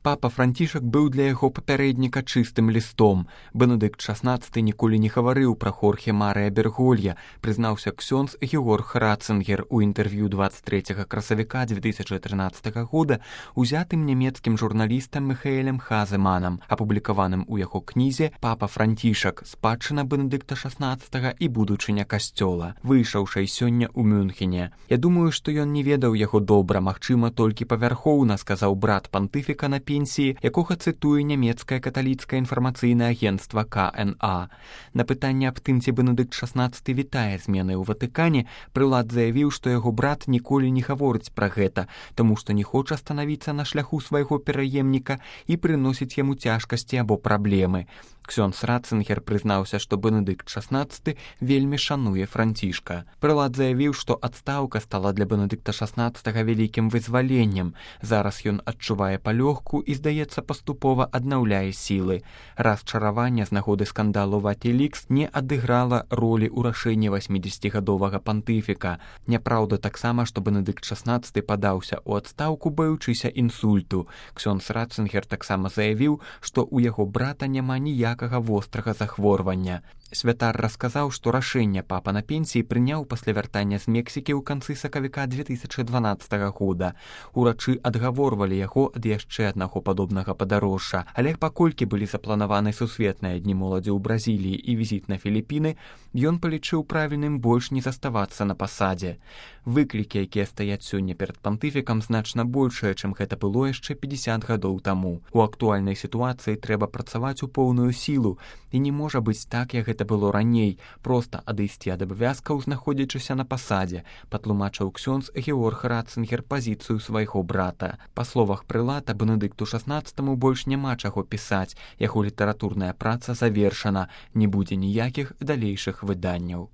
Папа Францішак быў для яго папярэдніка чыстым лістом. Бенедыкт XVI ніколі не гаварыў пра Хорхе Марыя Берголья, прызнаўся ксёндз Георг Ратцингер у інтэрв'ю 23 красавіка 2013 года узятым нямецкім журналістам Михаэлем Хаземанам, апублікаваным у яго кнізе «Папа Францішак. Спадчына Бенедыкта XVI і будучыня касцёла», выйшаўшай сёння ў Мюнхене. «Я думаю, што ён не ведаў яго добра, магчыма, толькі павярхоўна», сказаў брат пантыфіка на пенсіі, якога цытуе нямецкае каталіцкае інфармацыйнае агенцтва КНА. На пытанне аб тым, ці Бенедыкт XVI вітае змены ў Ватыкане, прылад заявіў, што яго брат ніколі не гаворыць пра гэта, таму што не хоча станавіцца на шляху свайго пераемніка і прыносіць яму цяжкасці або праблемы. Ксёндз Ратцингер прызнаўся, што Бенедыкт XVI вельмі шануе Францішка. Прылад заявіў, што адстаўка стала для Бенедыкта XVI вялікім вызваленнем. Зараз ён адчувае палёгку і, здаецца, паступова аднаўляе сілы. Расчараванне з нагоды скандалу Ватилікс не адыграла ролі ў рашэнні 80-гадовага пантыфіка. Няпраўда таксама, што Бенедыкт XVI падаўся ў адстаўку, баючыся інсульту. Ксёндз Ратцингер таксама заявіў, што ў яго брата няма ніякага вострага захворвання. Святар расказаў, што рашэнне папа на пенсіі прыняў пасля вяртання з Мексікі ў канцы сакавіка 2012 года. Урачы адгаворвалі яго ад яшчэ аднаго падобнага падарожжа, але паколькі былі запланаваны сусветныя дні моладзі ў Бразіліі і візіт на Філіпіны, ён палічыў правільным больш не заставацца на пасадзе. Выклікі, якія стаяць сёння перад пантыфікам, значна большыя, чым гэта было яшчэ 50 гадоў таму. У актуальнай сітуацыі трэба працаваць у поўную сілу, і не можа быць так, як гэта было раней, проста адысці ад абавязкаў, знаходзячыся на пасадзе, патлумачыў ксёндз Георг Ратцингер пазіцыю свайго брата. Па словах прылата, Бенедыкту XVI больш няма чаго пісаць, яго літаратурная праца завершана, не будзе ніякіх далейшых выданняў.